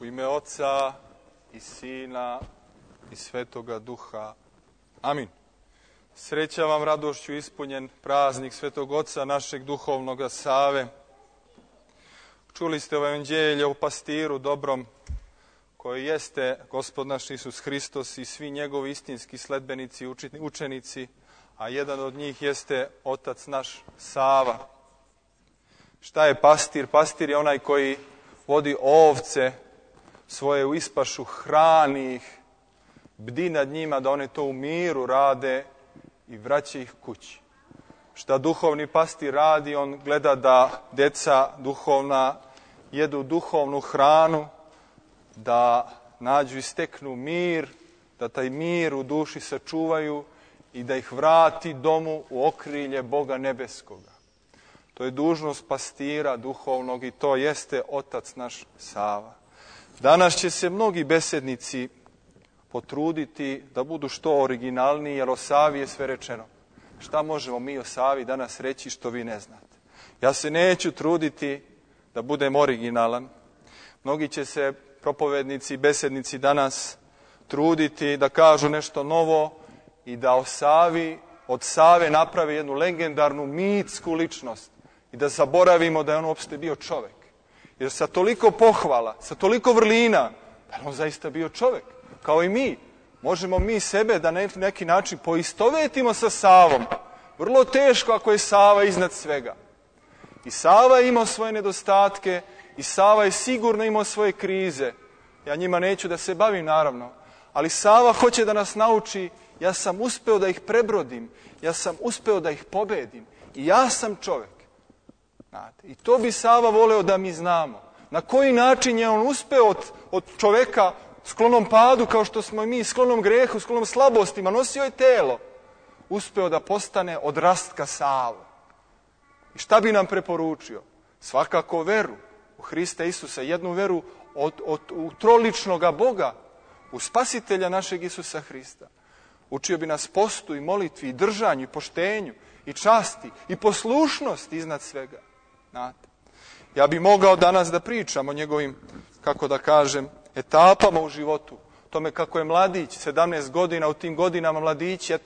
U ime Oca i Sina i Svetoga Duha. Amin. Sreća vam, radošću ispunjen praznik Svetog Oca našeg duhovnoga Save. Čuli ste o evanđelju o pastiru dobrom, koji jeste Gospod naš Isus Hristos i svi njegovi istinski sledbenici, učenici, a jedan od njih jeste Otac naš Sava. Šta je pastir? Pastir je onaj koji vodi ovce svoje u ispašu, hrani ih, bdi nad njima da one to u miru rade i vraća ih kući. Šta duhovni pastir radi? On gleda da deca duhovna jedu duhovnu hranu, da nađu i steknu mir, da taj mir u duši sačuvaju i da ih vrati domu u okrilje Boga nebeskoga. To je dužnost pastira duhovnog i to jeste Otac naš Sava. Danas će se mnogi besednici potruditi da budu što originalniji, jer o Savi je sve rečeno. Šta možemo mi o Savi danas reći što vi ne znate? Ja se neću truditi da budem originalan. Mnogi će se propovednici i besednici danas truditi da kažu nešto novo i da o Savi, od Save naprave jednu legendarnu mitsku ličnost i da zaboravimo da je on uopšte bio čovek. Jer sa toliko pohvala, sa toliko vrlina, da je on zaista bio čovek, kao i mi. Možemo mi sebe da na neki način poistovetimo sa Savom. Vrlo teško ako je Sava iznad svega. I Sava je imao svoje nedostatke, i Sava je sigurno imao svoje krize. Ja njima neću da se bavim, naravno. Ali Sava hoće da nas nauči, ja sam uspeo da ih prebrodim, ja sam uspeo da ih pobedim. I ja sam čovek. Znate, i to bi Sava voleo da mi znamo. Na koji način je on uspeo od čoveka sklonom padu, kao što smo i mi, sklonom grehu, sklonom slabostima, nosio je telo, uspeo da postane odrastka Sava. I šta bi nam preporučio? Svakako veru u Hrista Isusa, jednu veru u troličnoga Boga, u Spasitelja našeg Isusa Hrista. Učio bi nas postu i molitvi i držanju i poštenju i časti i poslušnosti iznad svega. Znate, ja bi mogao danas da pričam o njegovim, kako da kažem, etapama u životu. Tome kako je mladić, 17 godina, u tim godinama mladići,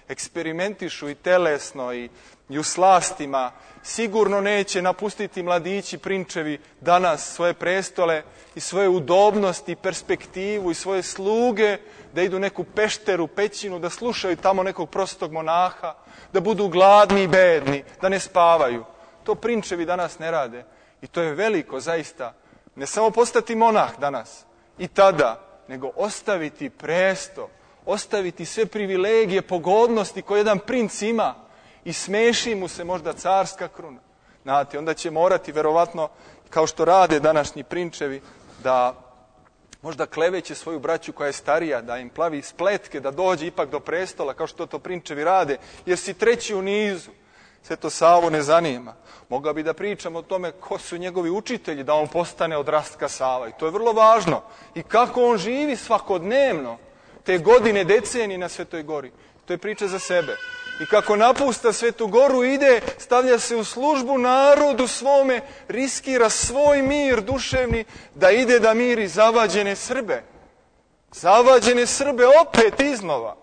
eksperimentišu i telesno i u slastima. Sigurno neće napustiti mladići, prinčevi, danas svoje prestole i svoje udobnosti, perspektivu i svoje sluge, da idu neku pešteru, pećinu, da slušaju tamo nekog prostog monaha, da budu gladni i bedni, da ne spavaju. To prinčevi danas ne rade. I to je veliko, zaista. Ne samo postati monah danas i tada, nego ostaviti presto, ostaviti sve privilegije, pogodnosti koje jedan princ ima i smeši mu se možda carska kruna. Znate, onda će morati, verovatno, kao što rade današnji prinčevi, da možda kleveće svoju braću koja je starija, da im plavi spletke, da dođe ipak do prestola, kao što to prinčevi rade, jer si treći u nizu. Sve to Savu ne zanima. Mogao bi da pričam o tome ko su njegovi učitelji, da on postane odrastka Sava. I to je vrlo važno. I kako on živi svakodnevno te godine, decenije na Svetoj Gori. To je priča za sebe. I kako napusta Svetu Goru, ide, stavlja se u službu narodu svome, riskira svoj mir duševni, da ide da miri zavađene Srbe. Zavađene Srbe opet iznova.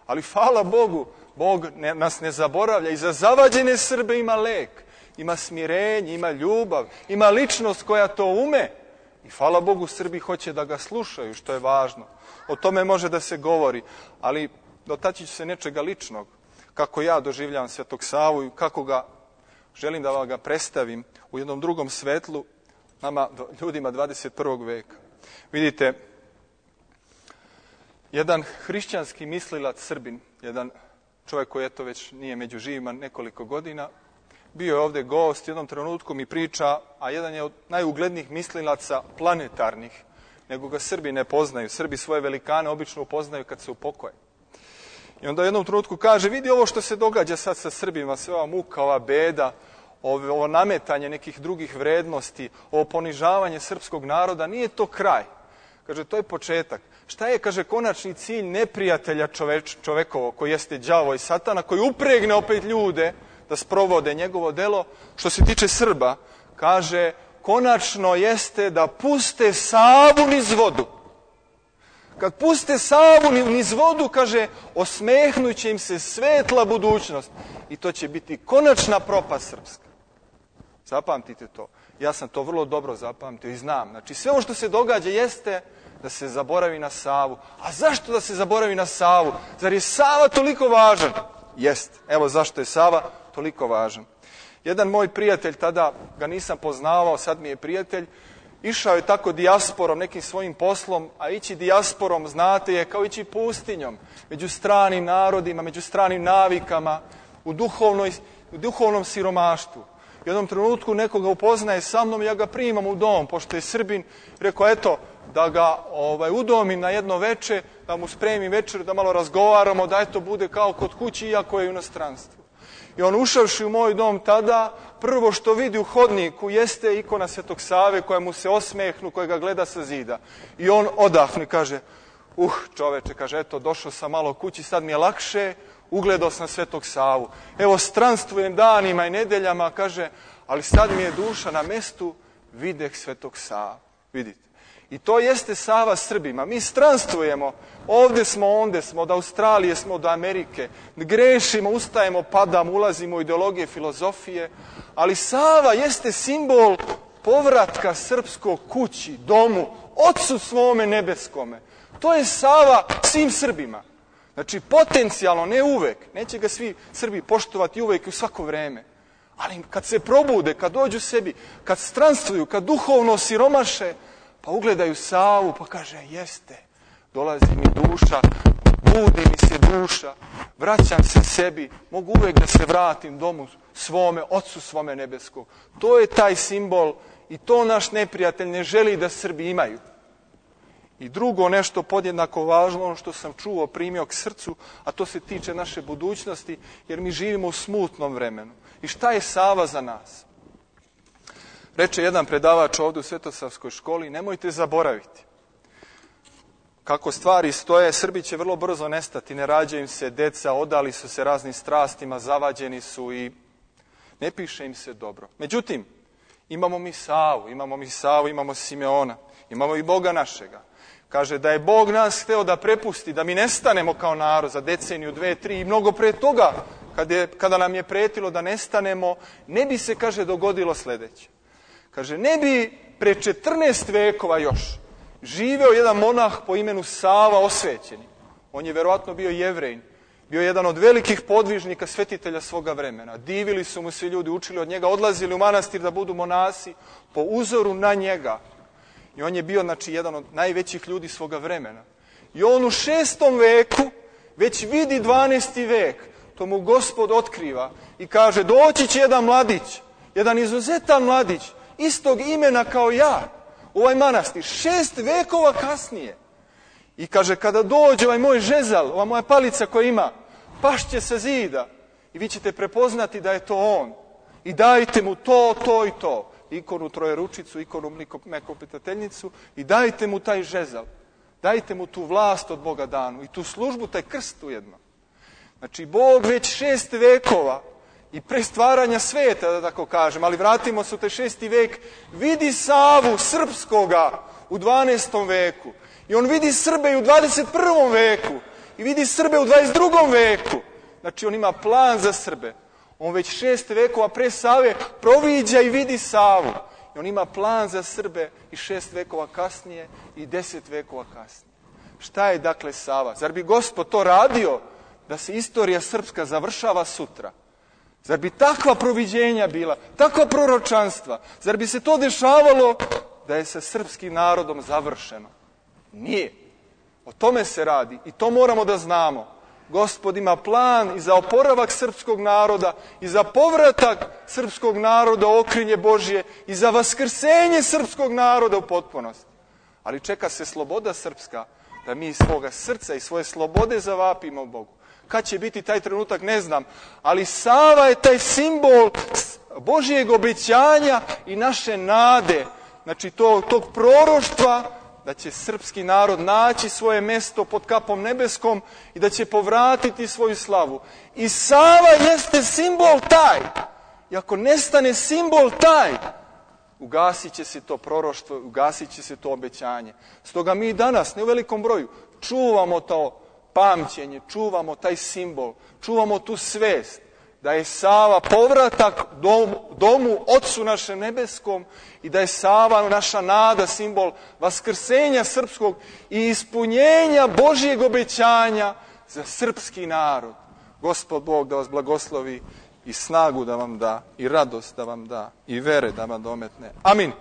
Ali hvala Bogu, Bog nas ne zaboravlja. I za zavađene Srbe ima lek, ima smirenje, ima ljubav, ima ličnost koja to ume. I hvala Bogu, Srbi hoće da ga slušaju, što je važno. O tome može da se govori, ali dotaći ću se nečega ličnog. Kako ja doživljavam Svetog Savu i kako ga želim da ga predstavim u jednom drugom svetlu nama, ljudima 21. veka. Vidite, jedan hrišćanski mislilac Srbin, jedan čovjek koji eto već nije među živima nekoliko godina, bio je ovdje gost, jednom trenutku mi priča, a jedan je od najuglednijih mislilaca planetarnih, nego ga Srbi ne poznaju. Srbi svoje velikane obično upoznaju kad se upokoje. I onda u jednom trenutku kaže, vidi ovo što se događa sad sa Srbima, sve ova muka, ova beda, ovo nametanje nekih drugih vrednosti, ovo ponižavanje srpskog naroda, nije to kraj. Kaže, to je početak. Šta je, kaže, konačni cilj neprijatelja čovekovog, koji jeste đavo i satana, koji upregne opet ljude da sprovode njegovo delo? Što se tiče Srba, kaže, konačno jeste da puste Savu niz vodu. Kad puste Savu niz vodu, kaže, osmehnut će im se svetla budućnost. I to će biti konačna propast srpska. Zapamtite to. Ja sam to vrlo dobro zapamtio i znam. Znači, sve ovo što se događa jeste da se zaboravi na Savu. A zašto da se zaboravi na Savu? Zar je Sava toliko važan? Jeste. Evo zašto je Sava toliko važan. Jedan moj prijatelj, tada ga nisam poznavao, sad mi je prijatelj, išao je tako dijasporom, nekim svojim poslom, a ići dijasporom, znate, je kao ići pustinjom, među stranim narodima, među stranim navikama, u duhovnom siromaštvu. U jednom trenutku nekoga upoznaje sa mnom, ja ga primam u dom, pošto je Srbin, rekao, eto, da ga udomim na jedno veče, da mu spremim večer, da malo razgovaramo, da eto bude kao kod kući, iako je u inostranstvu. I on ušavši u moj dom tada, prvo što vidi u hodniku jeste ikona Svetog Save koja mu se osmehnu, koja ga gleda sa zida. I on odahne, kaže, čoveče, kaže, eto, došao sam malo kući, sad mi je lakše, ugledao sam Svetog Savu. Evo, stranstvujem danima i nedeljama, kaže, ali sad mi je duša na mestu, videh Svetog Savu. Vidite. I to jeste Sava Srbima. Mi stranstvujemo, ovdje smo, onde smo, od Australije smo, do Amerike. Grešimo, ustajemo, padamo, ulazimo u ideologije, filozofije. Ali Sava jeste simbol povratka srpskog kući, domu, Otcu svome nebeskome. To je Sava svim Srbima. Znači, potencijalno, ne uvek. Neće ga svi Srbi poštovati uvek i u svako vreme. Ali kad se probude, kad dođu sebi, kad stranstvuju, kad duhovno siromaše, pa ugledaju Savu, pa kaže, jeste, dolazi mi duša, budi mi se duša, vraćam se sebi, mogu uvek da se vratim domu svome, Otcu svome nebeskog. To je taj simbol i to naš neprijatelj ne želi da Srbi imaju. I drugo nešto podjednako važno, ono što sam čuo, primio k srcu, a to se tiče naše budućnosti, jer mi živimo u smutnom vremenu. I šta je Sava za nas? Reče jedan predavač ovdje u Svetosavskoj školi, nemojte zaboraviti. Kako stvari stoje, Srbi će vrlo brzo nestati, ne rađaju im se deca, odali su se raznim strastima, zavađeni su i ne piše im se dobro. Međutim, imamo mi Savu, imamo Simeona, imamo i Boga našega. Kaže da je Bog nas hteo da prepusti, da mi nestanemo kao narod za deceniju, 2, 3 i mnogo pre toga, kada nam je pretilo da nestanemo, ne bi se, kaže, dogodilo sljedeće. Kaže, ne bi pre 14 vekova još živeo jedan monah po imenu Sava Osvećeni. On je verovatno bio Jevrejin, bio jedan od velikih podvižnika, svetitelja svoga vremena. Divili su mu svi ljudi, učili od njega, odlazili u manastir da budu monasi po uzoru na njega. I on je bio, znači, jedan od najvećih ljudi svoga vremena. I on u 6. veku već vidi 12. vek. To mu Gospod otkriva i kaže, doći će jedan mladić, jedan izuzetan mladić, istog imena kao ja, u ovaj manastir, 6 vekova kasnije. I kaže, kada dođe ovaj moj žezal, ova moja palica koja ima, pašće sa zida i vi ćete prepoznati da je to on. I dajte mu to, to i to. Ikonu trojeručicu, ikonu mekopitateljnicu i dajte mu taj žezal. Dajte mu tu vlast od Boga danu i tu službu, taj krst ujedno. Znači, Bog već 6 vekova i pre stvaranja sveta, da tako kažem, ali vratimo se u taj 6. vek, vidi Savu srpskoga u 12. veku. I on vidi Srbe i u 21. veku. I vidi Srbe u 22. veku. Znači, on ima plan za Srbe. On već 6 vekova pre Save proviđa i vidi Savu. I on ima plan za Srbe i 6 vekova kasnije i 10 vekova kasnije. Šta je dakle Sava? Zar bi Gospod to radio da se istorija srpska završava sutra? Zar bi takva proviđenja bila, takva proročanstva? Zar bi se to dešavalo da je sa srpskim narodom završeno? Nije. O tome se radi i to moramo da znamo. Gospod ima plan i za oporavak srpskog naroda i za povratak srpskog naroda u okrilje Božje i za vaskrsenje srpskog naroda u potpunosti. Ali čeka se sloboda srpska, da mi iz svoga srca i svoje slobode zavapimo Bogu. Kad će biti taj trenutak, ne znam, ali Sava je taj simbol Božjeg obećanja i naše nade, znači tog proroštva da će srpski narod naći svoje mesto pod kapom nebeskom i da će povratiti svoju slavu. I Sava jeste simbol taj. I ako nestane simbol taj, ugasit će se to proroštvo, ugasit će se to obećanje. Stoga mi danas, ne u velikom broju, čuvamo to pamćenje, čuvamo taj simbol, čuvamo tu svest da je Sava povratak domu Otcu našem nebeskom i da je Sava naša nada, simbol vaskrsenja srpskog i ispunjenja Božjeg obećanja za srpski narod. Gospod Bog da vas blagoslovi i snagu da vam da, i radost da vam da, i vere da vam dometne. Amin.